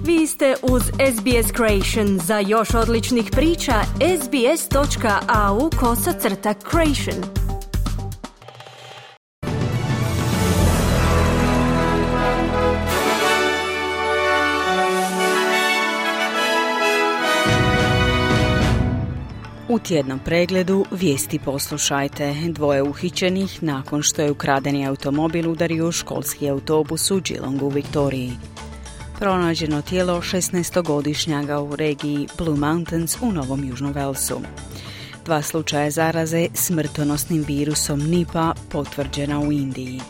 Vi ste uz SBS Creation. Za još odličnih priča, sbs.au/creation. U tjednom pregledu vijesti poslušajte. 2 uhićenih nakon što je ukradeni automobil udario školski autobus u Geelongu u Viktoriji. Pronađeno tijelo 16-godišnjaga u regiji Blue Mountains u Novom Južnom Walesu. 2 slučaja zaraze smrtonosnim virusom Nipah potvrđena u Indiji.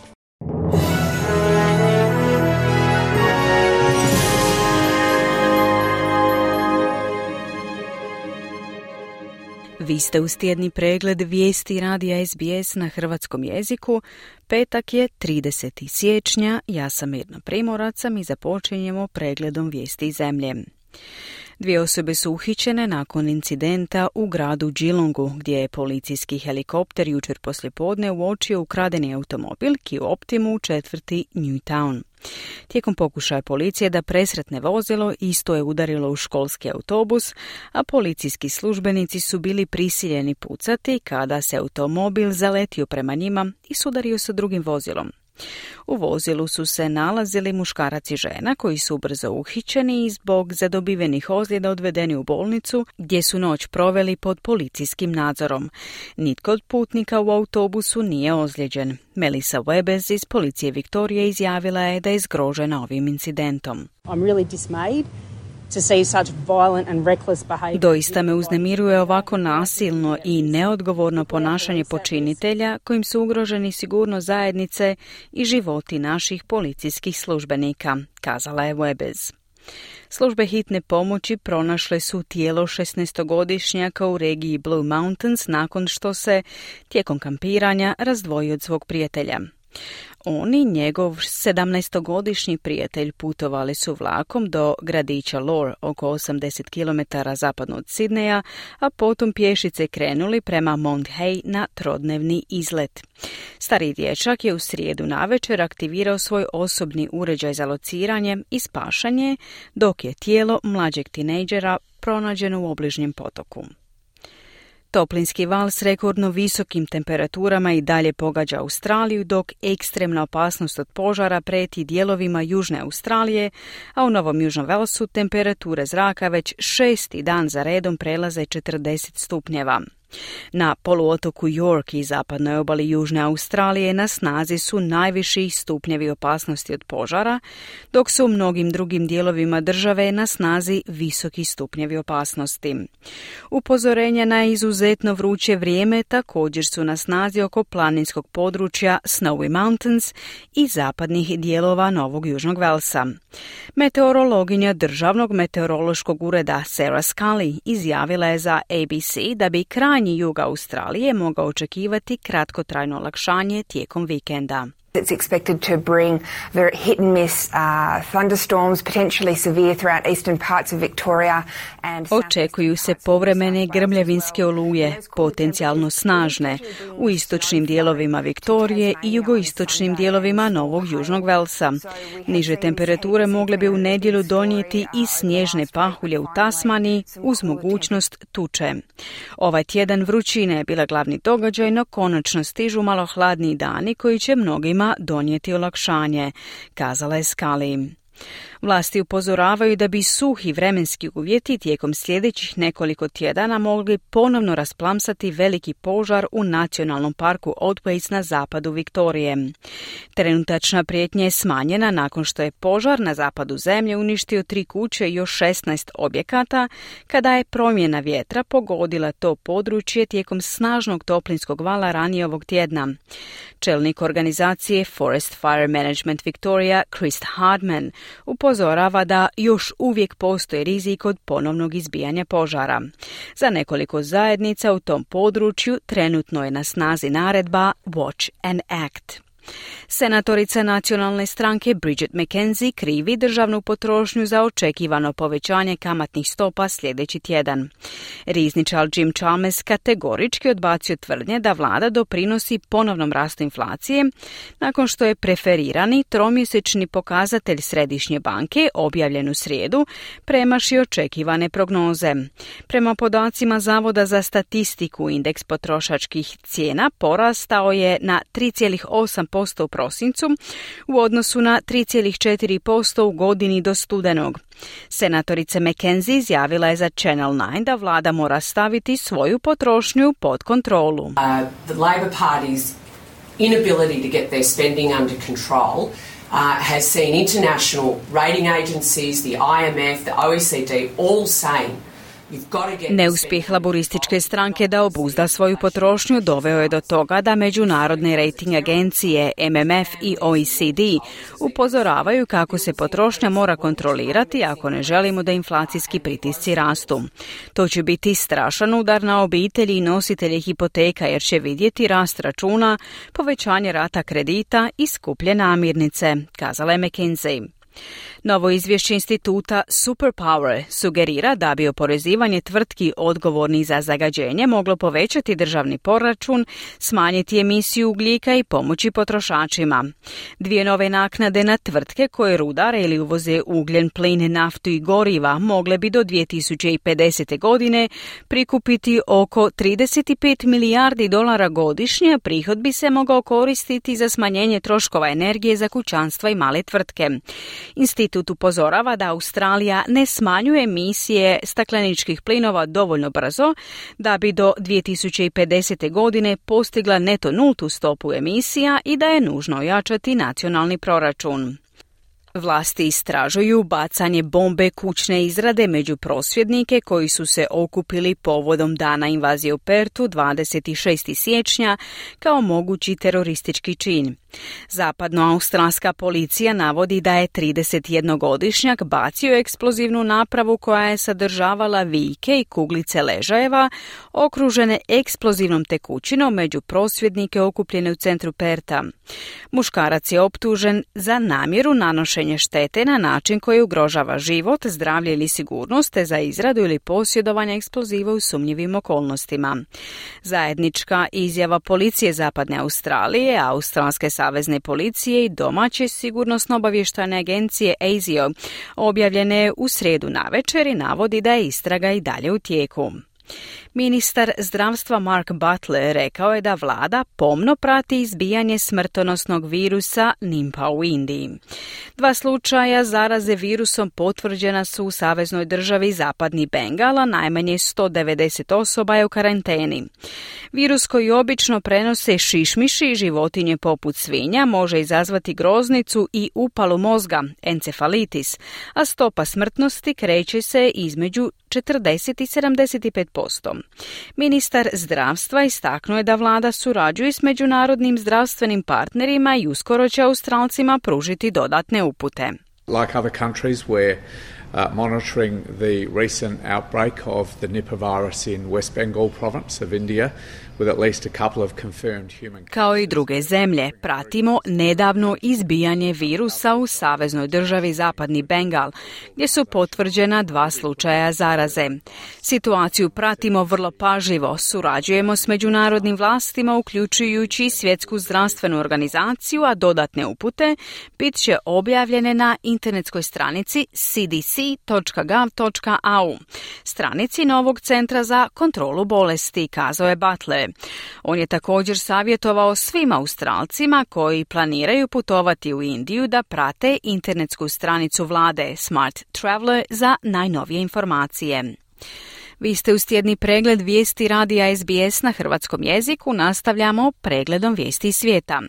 Vi ste uz tjedni pregled vijesti radija SBS na hrvatskom jeziku. Petak je 30. siječnja, ja sam Mirna Primorac, i započinjemo pregledom vijesti iz zemlje. 2 osobe su uhićene nakon incidenta u gradu Geelongu, gdje je policijski helikopter jučer poslijepodne uočio ukradeni automobil Kia Optimu u četvrti Newtown. Tijekom pokušaja policije da presretne vozilo, isto je udarilo u školski autobus, a policijski službenici su bili prisiljeni pucati kada se automobil zaletio prema njima i sudario sa drugim vozilom. U vozilu su se nalazili muškarac i žena koji su brzo uhićeni i zbog zadobivenih ozljeda odvedeni u bolnicu gdje su noć proveli pod policijskim nadzorom. Nitko od putnika u autobusu nije ozlijeđen. Melissa Webes iz policije Viktorije izjavila je da je zgrožena ovim incidentom. I'm really dismayed. Doista me uznemiruje ovako nasilno i neodgovorno ponašanje počinitelja kojim su ugroženi sigurnost zajednice i životi naših policijskih službenika, kazala je Webes. Službe hitne pomoći pronašle su tijelo 16-godišnjaka u regiji Blue Mountains nakon što se tijekom kampiranja razdvojio od svog prijatelja. On i njegov 17-godišnji prijatelj putovali su vlakom do gradića Lore, oko 80 km zapadno od Sidneja, a potom pješice krenuli prema Mount Hay na trodnevni izlet. Stari dječak je u srijedu navečer aktivirao svoj osobni uređaj za lociranje i spašanje, dok je tijelo mlađeg tinejdžera pronađeno u obližnjem potoku. Toplinski val s rekordno visokim temperaturama i dalje pogađa Australiju, dok ekstremna opasnost od požara prijeti dijelovima Južne Australije, a u Novom Južnom Walesu temperature zraka već 6. dan za redom prelaze 40 stupnjeva. Na poluotoku York i zapadnoj obali Južne Australije na snazi su najviši stupnjevi opasnosti od požara, dok su u mnogim drugim dijelovima države na snazi visoki stupnjevi opasnosti. Upozorenja na izuzetno vruće vrijeme također su na snazi oko planinskog područja Snowy Mountains i zapadnih dijelova Novog Južnog Walesa. Meteorologinja Državnog meteorološkog ureda Sarah Scully izjavila je za ABC da bi krajnji jug Australije mogao očekivati kratkotrajno olakšanje tijekom vikenda. It's expected to bring very hit and miss thunderstorms, potentially severe throughout eastern parts of Victoria and Očekuju se povremene grmljavinske oluje, potencijalno snažne, u istočnim dijelovima Viktorije i jugoistočnim dijelovima Novog Južnog Walesa. Niže temperature mogle bi u nedjelju donijeti i snježne pahulje u Tasmaniji uz mogućnost tuče. Ovaj tjedan vrućine je bila glavni događaj, no konačno stižu malo hladniji dani koji će mnogima donijeti olakšanje, kazala je Scully. Vlasti upozoravaju da bi suhi vremenski uvjeti tijekom sljedećih nekoliko tjedana mogli ponovno rasplamsati veliki požar u nacionalnom parku Otways na zapadu Viktorije. Trenutačna prijetnja je smanjena nakon što je požar na zapadu zemlje uništio 3 kuće i još 16 objekata, kada je promjena vjetra pogodila to područje tijekom snažnog toplinskog vala ranije ovog tjedna. Čelnik organizacije Forest Fire Management Victoria, Chris Hardman, upozorava da još uvijek postoji rizik od ponovnog izbijanja požara. Za nekoliko zajednica u tom području trenutno je na snazi naredba Watch and Act. Senatorica nacionalne stranke Bridget McKenzie krivi državnu potrošnju za očekivano povećanje kamatnih stopa sljedeći tjedan. Rizničar Jim Chalmers kategorički odbacio tvrdnje da vlada doprinosi ponovnom rastu inflacije nakon što je preferirani tromjesečni pokazatelj Središnje banke objavljen u srijedu premašio očekivane prognoze. Prema podacima Zavoda za statistiku, indeks potrošačkih cijena porastao je na 3,8% u prosincu u odnosu na 3,4% u godini do studenog. Senatorica McKenzie izjavila je za Channel 9 da vlada mora staviti svoju potrošnju pod kontrolu. The Labor Party's inability to get their spending under control has seen international rating agencies, the IMF, the OECD all saying neuspjeh laborističke stranke da obuzda svoju potrošnju doveo je do toga da međunarodne rating agencije MMF i OECD upozoravaju kako se potrošnja mora kontrolirati ako ne želimo da inflacijski pritisci rastu. To će biti strašan udar na obitelji i nositelje hipoteka jer će vidjeti rast računa, povećanje rata kredita i skuplje namirnice, kazala je McKenzie. Novo izvješće instituta Superpower sugerira da bi oporezivanje tvrtki odgovornih za zagađenje moglo povećati državni proračun, smanjiti emisiju ugljika i pomoći potrošačima. Dvije nove naknade na tvrtke koje rudare ili uvoze ugljen, plin, naftu i goriva mogle bi do 2050. godine prikupiti oko $35 milijardi godišnje, prihod bi se mogao koristiti za smanjenje troškova energije za kućanstva i male tvrtke. Institut upozorava da Australija ne smanjuje emisije stakleničkih plinova dovoljno brzo da bi do 2050. godine postigla neto nultu stopu emisija i da je nužno ojačati nacionalni proračun. Vlasti istražuju bacanje bombe kućne izrade među prosvjednike koji su se okupili povodom dana invazije u Perthu 26. siječnja kao mogući teroristički čin. Zapadnoaustralska policija navodi da je 31-godišnjak bacio eksplozivnu napravu koja je sadržavala vijke i kuglice ležajeva okružene eksplozivnom tekućinom među prosvjednike okupljene u centru Pertha. Muškarac je optužen za namjeru nanošenja štete na način koji ugrožava život, zdravlje ili sigurnost te za izradu ili posjedovanje eksploziva u sumnjivim okolnostima. Zajednička izjava policije Zapadne Australije, Australske savezne policije i domaće sigurnosno-obavještajne agencije ASIO objavljene u srijedu navečer i navodi da je istraga i dalje u tijeku. Ministar zdravstva Mark Butler rekao je da vlada pomno prati izbijanje smrtonosnog virusa Nipah u Indiji. 2 slučaja zaraze virusom potvrđena su u saveznoj državi Zapadni Bengal, a najmanje 190 osoba je u karanteni. Virus koji obično prenose šišmiši i životinje poput svinja može izazvati groznicu i upalu mozga, encefalitis, a stopa smrtnosti kreće se između 40 i 75%. Ministar zdravstva istaknuo je da vlada surađuje s međunarodnim zdravstvenim partnerima i uskoro će Australcima pružiti dodatne upute. Like other countries, we're monitoring the recent outbreak of the Nipah virus in West Bengal province of India, with at least a couple of confirmed human. Kao i druge zemlje, pratimo nedavno izbijanje virusa u saveznoj državi Zapadni Bengal, gdje su potvrđena 2 slučaja zaraze. Situaciju pratimo vrlo pažljivo, surađujemo s međunarodnim vlastima, uključujući Svjetsku zdravstvenu organizaciju, a dodatne upute bit će objavljene na internetskoj stranici cdc.gov.au, stranici novog centra za kontrolu bolesti, kazao je Butler. On je također savjetovao svim Australcima koji planiraju putovati u Indiju da prate internetsku stranicu vlade Smart Traveller za najnovije informacije. Vi ste uz tjedni pregled vijesti radija SBS na hrvatskom jeziku. Nastavljamo pregledom vijesti svijeta.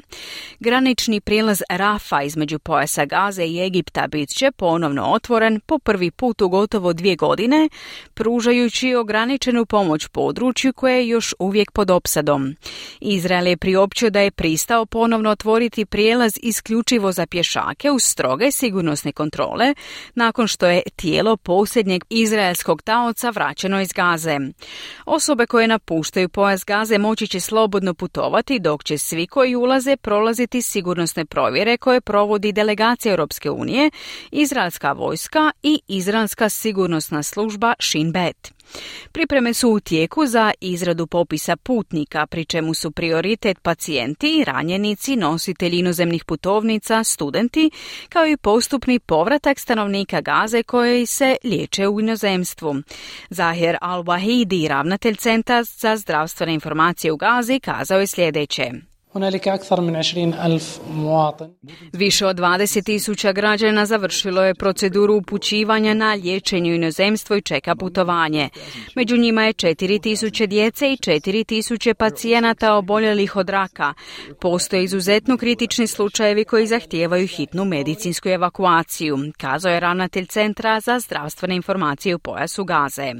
Granični prijelaz Rafa između pojasa Gaze i Egipta bit će ponovno otvoren po prvi put u gotovo 2 godine, pružajući ograničenu pomoć području koje je još uvijek pod opsadom. Izrael je priopćio da je pristao ponovno otvoriti prijelaz isključivo za pješake uz stroge sigurnosne kontrole, nakon što je tijelo posljednjeg izraelskog taoca vraćeno iz Gaze. Osobe koje napuštaju pojas Gaze moći će slobodno putovati, dok će svi koji ulaze prolaziti sigurnosne provjere koje provodi delegacija Europske unije, izraelska vojska i izraelska sigurnosna služba Shin Bet. Pripreme su u tijeku za izradu popisa putnika, pri čemu su prioritet pacijenti, ranjenici, nositelji inozemnih putovnica, studenti, kao i postupni povratak stanovnika Gaze koji se liječe u inozemstvu. Zahir Al-Wahidi, ravnatelj Centra za zdravstvene informacije u Gazi, kazao je sljedeće. Više od 20.000 građana završilo je proceduru upućivanja na liječenje u inozemstvo i čeka putovanje. Među njima je 4.000 djece i 4.000 pacijenata oboljelih od raka. Postoje izuzetno kritični slučajevi koji zahtijevaju hitnu medicinsku evakuaciju, kazao je ravnatelj Centra za zdravstvene informacije u pojasu Gaze.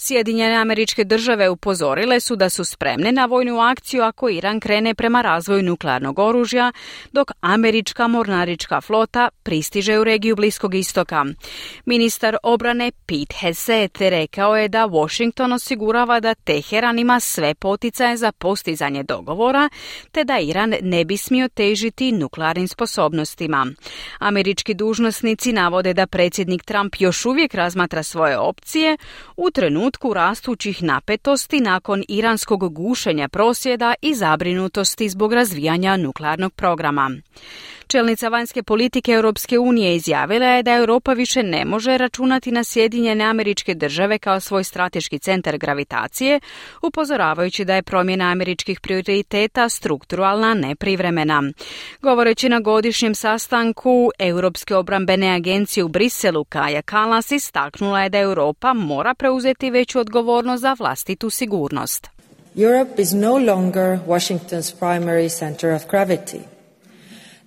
Sjedinjene Američke Države upozorile su da su spremne na vojnu akciju ako Iran krene prema razvoju nuklearnog oružja, dok američka mornarička flota pristiže u regiju Bliskog istoka. Ministar obrane Pete Hegseth rekao je da Washington osigurava da Teheran ima sve poticaje za postizanje dogovora, te da Iran ne bi smio težiti nuklearnim sposobnostima. Američki dužnosnici navode da predsjednik Trump još uvijek razmatra svoje opcije u trenutku rastućih napetosti nakon iranskog gušenja prosvjeda i zabrinutosti zbog razvijanja nuklearnog programa. Čelnica vanjske politike Europske unije izjavila je da Europa više ne može računati na Sjedinjene Američke Države kao svoj strateški centar gravitacije, upozoravajući da je promjena američkih prioriteta strukturalna, ne privremena. Govoreći na godišnjem sastanku Europske obrambene agencije u Briselu, Kaja Kallas istaknula je da Europa mora preuzeti veću odgovornost za vlastitu sigurnost. Europe is no longer Washington's primary center of gravity.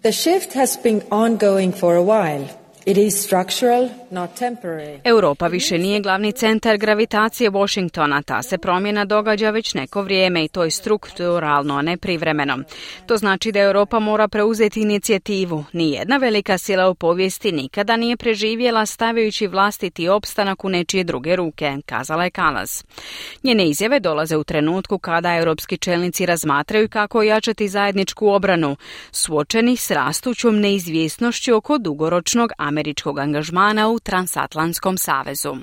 The shift has been ongoing for a while. It is structural, not temporary. Europa više nije glavni centar gravitacije Washingtona. Ta se promjena događa već neko vrijeme i to je strukturalno, a ne privremeno. To znači da Europa mora preuzeti inicijativu. Nijedna velika sila u povijesti nikada nije preživjela stavljajući vlastiti opstanak u nečije druge ruke, kazala je Kallas. Njene izjave dolaze u trenutku kada europski čelnici razmatraju kako ojačati zajedničku obranu, suočeni s rastućom neizvjesnošću oko dugoročnog američkog angažmana u Transatlantskom savezu.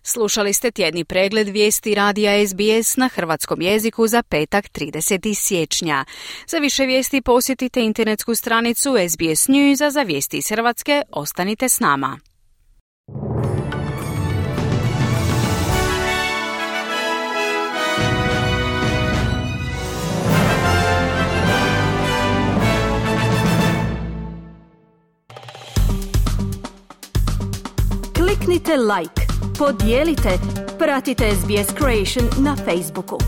Slušali ste tjedni pregled vijesti radija SBS na hrvatskom jeziku za petak 30. siječnja. Za više vijesti posjetite internetsku stranicu SBS News, a za vijesti iz Hrvatske ostanite s nama. Kliknite like, podijelite, pratite SBS Creation na Facebooku.